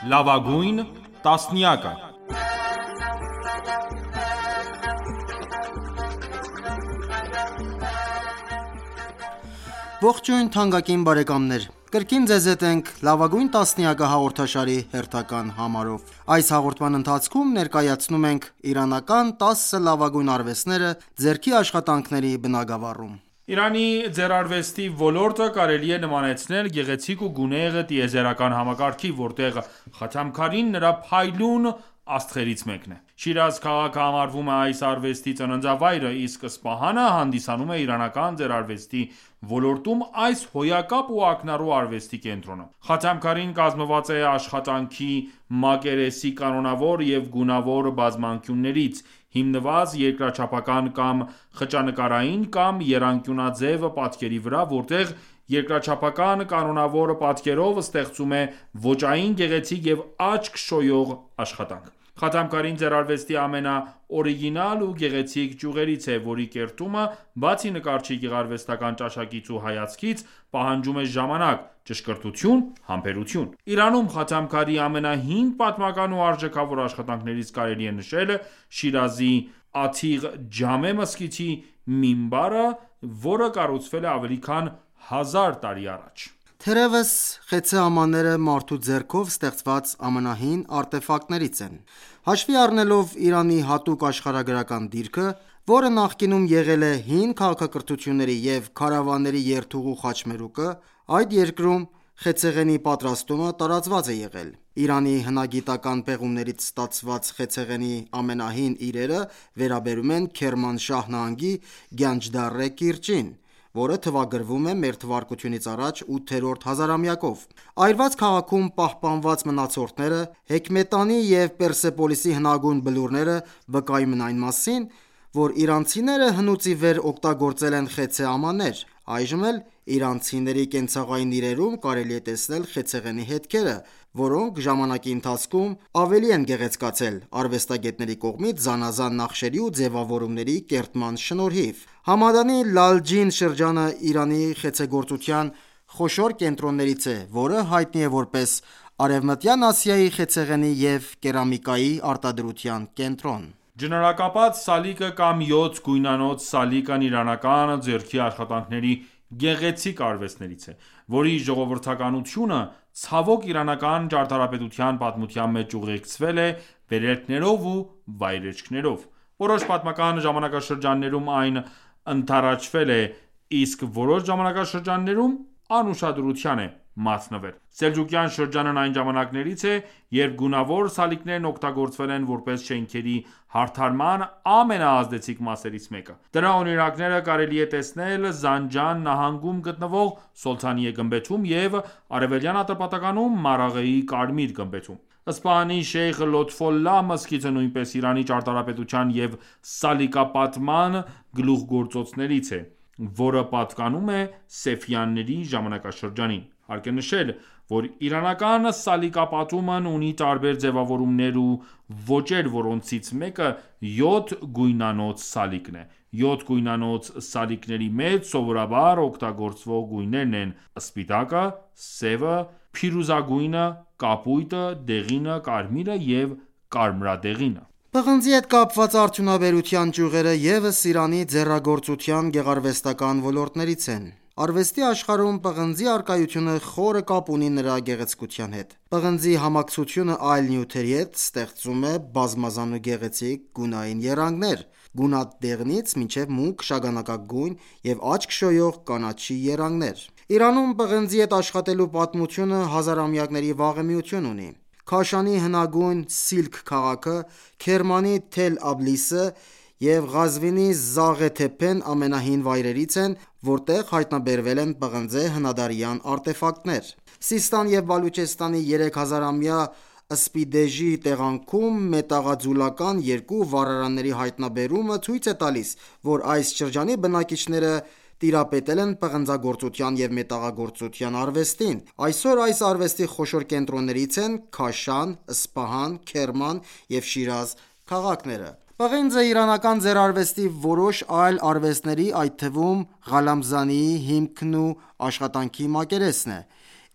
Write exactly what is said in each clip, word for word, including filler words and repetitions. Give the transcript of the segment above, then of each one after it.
Լավագույն տասնյակը։ Ողջույն թանկագին բարեկամներ, կրկին ձեզ հետ ենք «Լավագույն տասնյակը» հաղորդաշարի հերթական համարով։ Այս հաղորդման ընթացքում ներկայացնում ենք իրանական տասը լավագույն արվեստները ձեռքի աշխատանքների բնագավառում։ Իրանի ձեռարվեստի ոլորտը կարելի է նմանեցնել գեղեցիկ ու գունեղ տիեզերական համակարգի, որտեղ Խաթամքարին նրա փայլուն աստղերից մեկն է։ Շիրազ քաղաքը համարվում է այս արվեստի ծննդավայրը, իսկ Սպահանը հանդիսանում է իրանական ձեռարվեստի ոլորտում այս հոյակապ ու ակնառու արվեստի կենտրոնը։ Խաթամքարին կազմված է աշխատանքի մակերեսի կանոնավոր և գունավոր բազմանկյուններից, հիմնված երկրաչափական կամ խճանկարային կամ եռանկյունաձև պատկերի վրա, որտեղ երկրաչափական կանոնավոր պատկերով ստեղծում է ոճային գեղեցիկ և աչք շոյող աշխատանք։ Խաթամքարին ձեռարվեստի ամենաօրիգինալ ու գեղեցիկ ճյուղերից է, որի կերտումը, բացի նկարչի գեղարվեստական ճաշակից ու հայացքից, պահանջում է ժամանակ, ճշգրտություն, համբերություն։ Իրանում Խաթամքարի ամենահին պատմական ու արժեքավոր աշխատանքներից կարելի է նշել Շիրազի Աթիղ Ջամե մզկիթի մինբարը, որը կառուցվել է ավելի քան հազար տարի առաջ։ Թերևս խեցե ամանները մարդու ձեռքով ստեղծված ամենահին արտեֆակտներից են։ Հաշվի առնելով Իրանի հատուկ աշխարհագրական դիրքը, որը նախկինում եղել է հին քաղաքակրթությունների և քարավանների երթուղու խաչմերուկը, այդ երկրում խեցեղենի պատրաստումը տարածված է եղել։ Իրանի հնագիտական պեղումներից ստացված խեցեղենի ամենահին իրերը վերաբերում են Քերմանշահ նահանգի Գանջդարե կիրճին, որը թվագրվում է մ.թ.ա. ութերորդ հազարամյակով։ Այրված քաղաքում պահպանված մնացորդները, Հեքմետանի և Պերսեպոլիսի հնագույն բլուրները վկայում են այն մասին, որ իրանցիները հնուց ի վեր օգտագործել են խեցե ամաններ։ Այժմ էլ իրանցիների կենցաղային իրերում կարելի է տեսնել խեցեղենի հետքերը, որոնք ժամանակի ընթացքում ավելի են գեղեցկացել արվեստագետների կողմից զանազան նախշերի ու ձևավորումների կերտման շնորհիվ։ Համադանի Լալջին շրջանը Իրանի խեցեգործության խոշոր կենտրոններից է, որը հայտնի է որպես Արևմտյան Ասիայի խեցեղենի և կերամիկայի արտադրության կենտրոն։ Ջնորակապած սալիկը կամ յոթ գույնանոց սալիկն իրանական ձեռքի աշխատանքների գեղեցիկ արվեստներից է, որի ժողովրդականությունը ցավոք իրանական ճարտարապետության պատմության մեջ ուղեկցվել է վերելքներով ու վայրէջքներով։ Որոշ պատմական ժամանակաշրջաններում այն ընդառաջվել է, իսկ որոշ ժամանակաշրջաններում անուշադրության է մատնվել։ Սելջուկյան շրջանն այն ժամանակներից է, երբ գունավոր սալիկներն օգտագործվել են որպես շենքերի հարդարման ամենաազդեցիկ մասերից մեկը։ Դրա օրինակները կարելի է տեսնել Զանջան նահանգում գտնվող Սոլթանիե գմբեթում և Արևելյան Ատրպատականում Մարաղեի Կարմիր գմբեթում։ Սպահանի Շեյխ Լոթֆոլլահ մզկիթը նույնպես Իրանի ճարտարապետության և սալիկապատման գլուխգործոցներից է, որը պատկանում է Սեֆյանների ժամանակաշրջանին։ Հարկ է նշել, որ իրանական սալիկապատումն ունի տարբեր ձևավորումներ ու ոճեր, որոնցից մեկը յոթ գույնանոց սալիկն է։ Յոթ գույնանոց սալիկների մեջ սովորաբար օգտագործվող գույներն են սպիտակը, սևը, փիրուզագույնը, կապույտը, դեղինը, կարմիրը և կարմրադեղինը։ Պղնձի հետ կապված արդյունաբերության ճյուղերը ևս Իրանի ձեռագործության գեղարվեստական ոլորտներից են։ Արվեստի աշխարհում պղնձի առկայությունը խորը կապ ունի նրա գեղեցկության հետ։ Պղնձի համակցությունը այլ նյութերի հետ ստեղծում է բազմազան ու գեղեցիկ գունային եռանկներ՝ գունատ դեղնից մինչև մուգ շագանակագույն և աչք շոյող կանաչի եռանկներ։ Իրանում պղնձի հետ աշխատելու պատմությունը հազարամյակների վաղեմիություն ունի։ Քաշանի հնագույն Սիլք քաղաքը, Քերմանի Թել Աբլիսը և Ղազվինի Զաղե Թեփեն ամենահին վայրերից են, որտեղ հայտնաբերվել են պղնձե հնադարյան արտեֆակտներ։ Սիստան և Բալուչեստանի երեք հազարամյա սպիդեժի տեղանքում մետաղաձուլական երկու վառարանների հայտնաբերումը ցույց է տալիս, որ այս շրջանի բնակիչները տիրապետել են պղնձագործության և մետաղագործության արվեստին։ Այսօր այս արվեստի խոշոր կենտրոններից են Քաշան, Սպահան, Քերման և Շիրազ քաղաքները։ Պղինձը իրանական ձեռարվեստի որոշ այլ արվեստների, այդ թվում Ղալամզանիի հիմքն ու աշխատանքի մակերեսն է։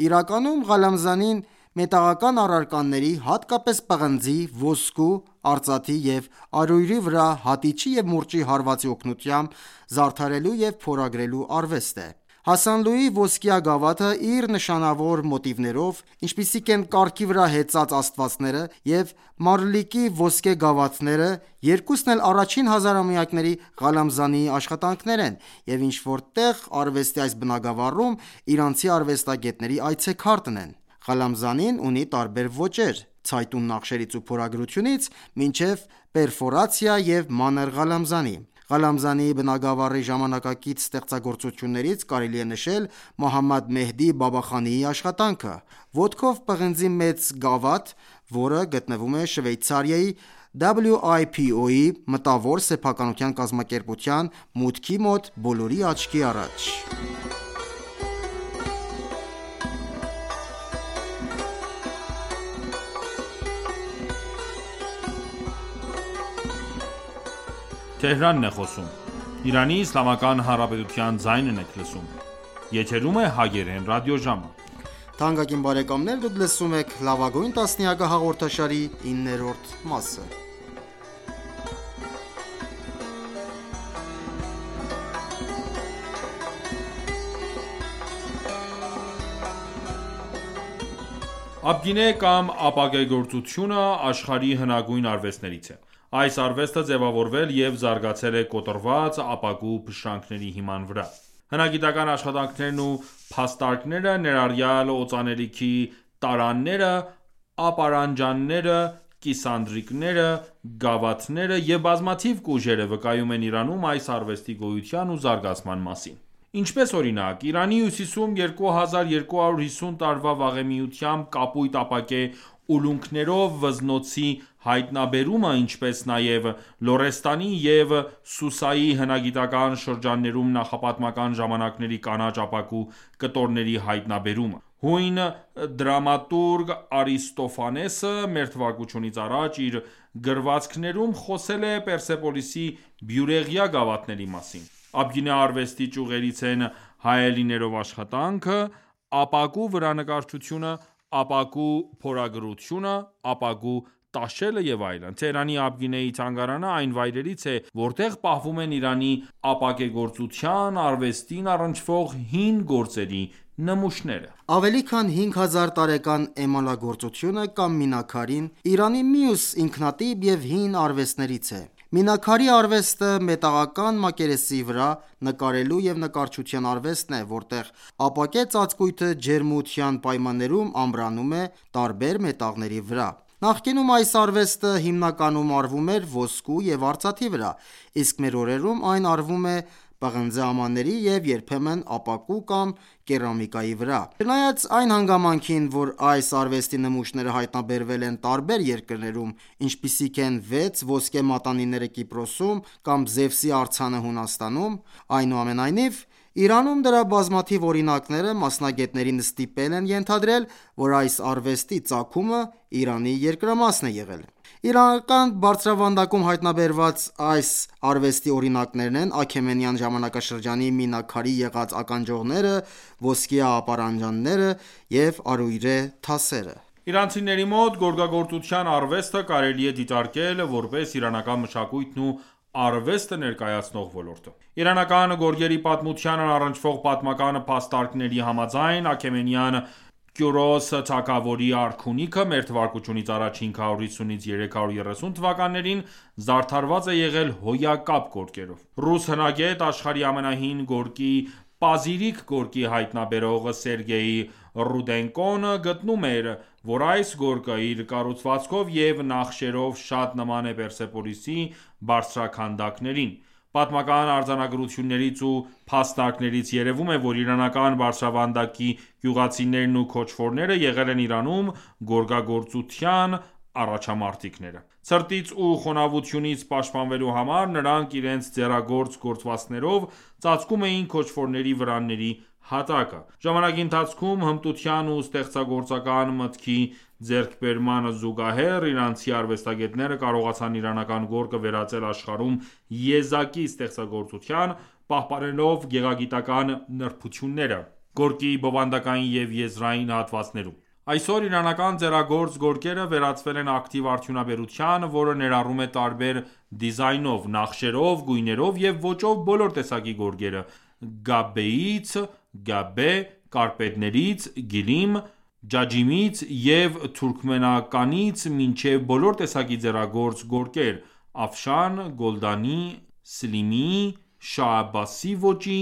Իրականում Ղալամզանին մետաղական առարկաների, հատկապես պղնձի, ոսկու, արծաթի և արյունի վրա հատիչի և մուրճի հարվածի օգնությամբ զարդարելու և փորագրելու արվեստ է: Հասանլուի ոսկյա գավաթը իր նշանավոր մոտիվներով, ինչպիսիք են կառքի վրա հեծած աստվածները և Մարլիկի ոսկե գավաթները, երկուսն էլ առաջին հազարամյակների Ղալամզանիի աշխատանքներ են և ինչ-որ տեղ արվեստի այս բնագավառում իրանցի արվեստագետների այցեքարտն են: Ղալամզանին ունի տարբեր ոճեր՝ ցայտուն նախշերից ու փորագրությունից մինչև պերֆորացիա և մանր Ղալամզանի: Ղալամզանիի բնագավառի ժամանակակից ստեղծագործություններից կարելի է նշել Մոհամմադ Մեհդի Բաբախանիի աշխատանքը՝ ոտքով պղնձի մեծ գավաթ, որը գտնվում է Շվեյցարիայի դաբլյու այ փի օ-ի մտավոր սեփականության կազմակերպության մուտքի մոտ բոլորի աչքի առաջ: Աբգինե կամ ապակեգործությունը աշխարհի հնագույն արվեստներից է: Այս արվեստը ձևավորվել և զարգացել է կոտրված ապակու փշրանքների հիման վրա: Հնագիտական աշխատանքներն ու փաստարկները, ներառյալ օծանելիքի տարաները, ապարանջանները, կիսանդրիկները, գավաթները և բազմաթիվ կուժերը վկայում են Իրանում այս արվեստի գոյության ու զարգացման մասին: Ինչպես օրինակ, Իրանի հյուսիսում երկու հազար երկու հարյուր հիսուն տարվա վաղեմիությամբ կապույտ ապակե ուլունքներով վզնոցի հայտնաբերումը, ինչպես նաև Լորեստանի և Սուսայի հնագիտական շրջաններում նախապատմական ժամանակների կանաչ ապակու կտորների հայտնաբերումը: Հույն դրամատուրգ Արիստոֆանեսը մ.թ.ա. իր գրվածքներում խոսել է Պերսեպոլիսի բյուրեղյա գավաթների մասին: Աբգինե արվեստի ճյուղերից են հայելիներով աշխատանքը, ապակու վրա նկարչությունը, ապակու փորագրությունը, ապակու տաշելը և այլն: Թեհրանի Աբգինեի թանգարանը այն վայրերից է, որտեղ պահվում են Իրանի ապակեգործության արվեստին առնչվող հին գործերի նմուշները: Ավելի քան հինգ հազար տարեկան էմալագործությունը կամ մինաքարին Իրանի մյուս ինքնատիպ և հին արվեստներից է: Մինաքարի արվեստը մետաղական մակերեսի վրա նկարելու և նկարչության արվեստն է, որտեղ ապակե ծածկույթը ջերմության պայմաններում ամրանում է տարբեր մետաղների վրա: Նախկինում այս արվեստը հիմնականում արվում էր ոսկու և արծաթի վրա, իսկ մեր օրերում այն արվում է պղնձե ամանների և երբեմն ապակու կամ կերամիկայի վրա: Չնայած այն հանգամանքին, որ այս արվեստի նմուշները հայտնաբերվել են տարբեր երկրներում, ինչպիսիք են վեց ոսկե մատանիները Կիպրոսում կամ Զևսի արձանը Հունաստանում, այնուամենայնիվ, Իրանում դրա բազմաթիվ օրինակները մասնագետներին ստիպել են ենթադրել, որ այս արվեստի ծագումը Իրանի երկրամասն է եղել: Իրանական բարձրավանդակում հայտնաբերված այս արվեստի օրինակներն են Աքեմենյան ժամանակաշրջանի մինաքարի եղած ականջողները, ոսկյա ապարանջանները և արույրե թասերը: Իրանցիների մոտ գորգագործության արվեստը կարելի է դիտարկել, որպես իրանական մշակույթն ու արվեստը ներկայացնող ոլորտ: Իրանական գորգերի պատմությանն առնչվող պատմական փաստարկների համաձայն, Աքեմենյան Կյուրոս թագավորի արքունիքը մ.թ.ա. հինգ հարյուր հիսունից երեք հարյուր երեսուն թվականներին զարդարված է եղել հոյակապ գորգերով: Ռուս հնագետ, աշխարհի ամենահին գորգի Պազիրիկ գորգի հայտնաբերող Սերգեյ Ռուդենկոն գտնում էր, որ այս գորգը իր կառուցվածքով և նախշերով շատ նման է Պերսեպոլիսի բարձրաքանդակներին: Պատմական արձանագրություններից ու փաստարկներից երևում է, որ իրանական բարձրավանդակի գյուղացիներն ու քոչվորները եղել են Իրանում գորգագործության առաջամարտիկները: Ցրտից ու խոնավությունից պաշտպանվելու համար նրանք իրենց ձեռագործ գործվածքներով ծածկում էին քոչվորների վրանների հատակը: Ժամանակի ընթացքում հմտության ու ստեղծագործական մտքի ձեռքբերմանը զուգահեռ, իրանցի արվեստագետները կարողացան իրանական գորգը վերածել աշխարհում եզակի ստեղծագործության, պահպանելով գեղագիտական նրբությունները՝ գորգի բովանդակային և եզրային հատվածներում: Այսօր իրանական ձեռագործ գորգերը վերածվել են ակտիվ արդյունաբերության, որը ներառում է տարբեր դիզայնով, նախշերով, գույներով և ոճով բոլոր տեսակի գորգերը՝ գաբբեից (գաբբե), կարպետներից (գիլիմ), ջաջիմից և թուրքմենականից մինչև բոլոր տեսակի ձեռագործ գորգեր՝ աֆշան, գոլդանի, սլիմի, շահ Աբբասի ոճի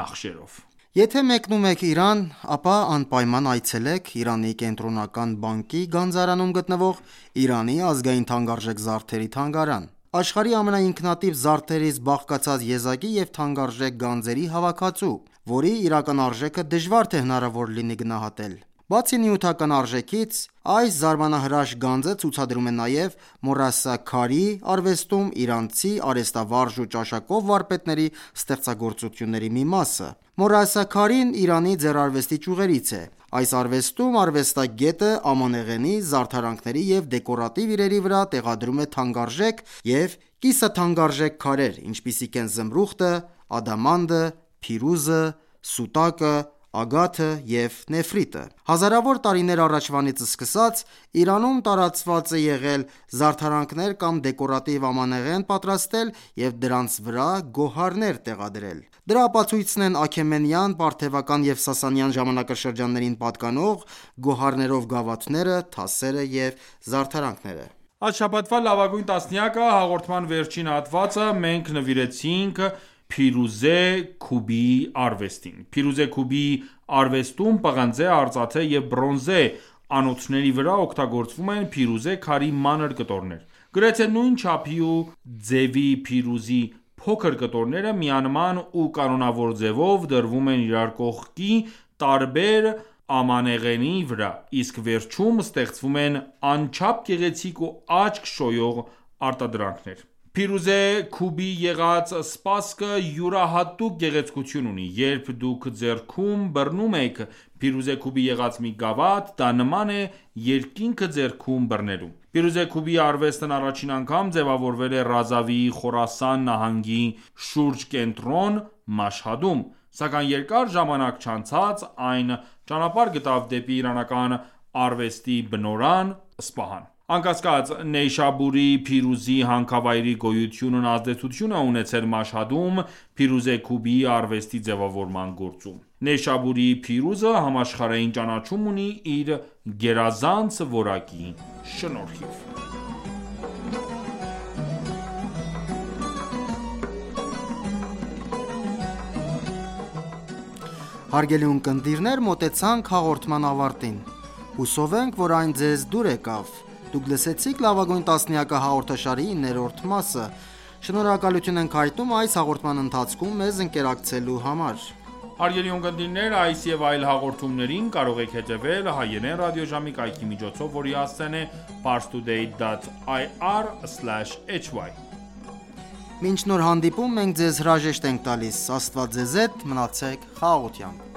նախշերով։ Եթե մեկնում եք Իրան, ապա անպայման այցելեք Իրանի Կենտրոնական բանկի գանձարանում գտնվող Իրանի ազգային թանկարժեք զարդերի թանգարան։ Աշխարհի ամենաինքնատիպ զարդերից բաղկացած եզակի և թանկարժեք գանձերի հավաքածու, որի իրական արժեքը դժվար թե հնարավոր լինի գնահատել։ Բացի նյութական արժեքից, այս զարմանահրաշ գանձը ցուցադրում է նաև մոռասա-քարի արվեստում իրանցի արհեստավարժ ու ճաշակով վարպետների ստեղծագործությունների մի մասը։ Մոռասա-քարին Իրանի ձեռարվեստի ճյուղերից է։ Այս արվեստում արվեստագետը ամանեղենի, զարդարանքների և դեկորատիվ իրերի վրա տեղադրում է թանկարժեք և կիսաթանկարժեք քարեր, ինչպիսիք են զմրուխտը, ադամանդը, փիրուզը, սուտակը, ագաթը և նեֆրիտը։ Հազարավոր տարիներ առաջվանից սկսած, Իրանում տարածված է եղել զարդարանքներ կամ դեկորատիվ ամանեղեն պատրաստել և դրանց վրա գոհարներ տեղադրել։ Դրա ապացույցն են Աքեմենյան, Պարթևական և Սասանյան ժամանակաշրջաններին պատկանող գոհարներով գավաթները, թասերը և զարդարանքները։ Այս շաբաթվա լավագույն տասնյակը հաղորդման վերջին հատվածը մենք նվիրեցինք Փիրուզե Քուբիի արվեստին։ Փիրուզե Քուբիի արվեստում պղնձե, արծաթե և բրոնզե անոթների վրա օգտագործվում են փիրուզե քարի մանր կտորներ։ Գրեթե նույն չափի ու ձևի փիրուզի փոքր կտորները միանման ու կանոնավոր ձևով դրվում են իրար կողքի տարբեր ամանեղենի վրա, իսկ վերջում ստեղծվում են անչափ գեղեցիկ ու աչք շոյող արտադրանքներ։ Փիրուզե Քուբիի եղած սպասքը յուրահատուկ գեղեցկություն ունի։ Երբ դուք ձեռքում բռնում եք Փիրուզե Քուբի եղած մի գավաթ, դա նման է երկինքը ձեռքում բռնելու։ Փիրուզե Քուբիի արվեստն առաջին անգամ ձևավորվել է Ռազավիի Խորասան նահանգի շուրջկենտրոն Մաշհադում, սակայն երկար ժամանակ չանցած այն ճանապարհ գտավ դեպի իրանական արվեստի բնօրրան Սպահան։ Անկասկած, Նեյշաբուրի փիրուզի հանքավայրի գոյությունն ազդեցություն է ունեցել Մաշհադում Փիրուզե Քուբիի արվեստի ձևավորման գործում։ Նեյշաբուրի փիրուզը համաշխարհային ճանաչում ունի իր գերազանց որակի շնորհիվ։ Հարգելի ունկնդիրներ, մոտեցանք հաղորդման ավարտին։ Հուսով ենք, որ այն ձեզ դուր եկավ։ Դուք լսեցիք «Լավագույն տասնյակը» հաղորդաշարի ներորդ մասը։ Շնորհակալություն ենք հայտնում այս հաղորդման ընթացքում մեզ ընկերակցելու համար։ Հարգելի ունկնդիրներ, այս եւ այլ հաղորդումներին կարող եք հետևել հայերեն ռադիոժամի կայքի միջոցով, որի հասցեն է parstoday dot i r slash h y։ Մինչ նոր հանդիպում, մենք ձեզ հրաժեշտ ենք տալիս։ Աստված ձեզ հետ, մնացեք խաղաղությամբ։